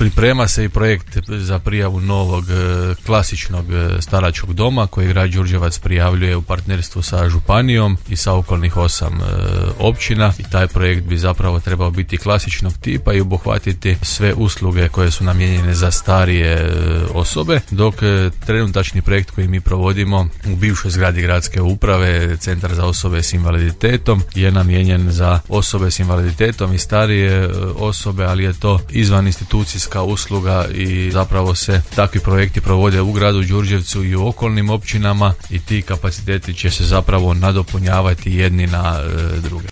Priprema se i projekt za prijavu novog klasičnog staračkog doma koji grad Đurđevac prijavljuje u partnerstvu sa županijom i sa okolnih 8 općina, i taj projekt bi zapravo trebao biti klasičnog tipa i obuhvatiti sve usluge koje su namijenjene za starije osobe, dok trenutačni projekt koji mi provodimo u bivšoj zgradi gradske uprave, Centar za osobe s invaliditetom, je namijenjen za osobe s invaliditetom i starije osobe, ali je to izvan institucijska usluga i zapravo se takvi projekti provode u gradu Đurđevcu i u okolnim općinama i ti kapaciteti će se zapravo nadopunjavati jedni na druge.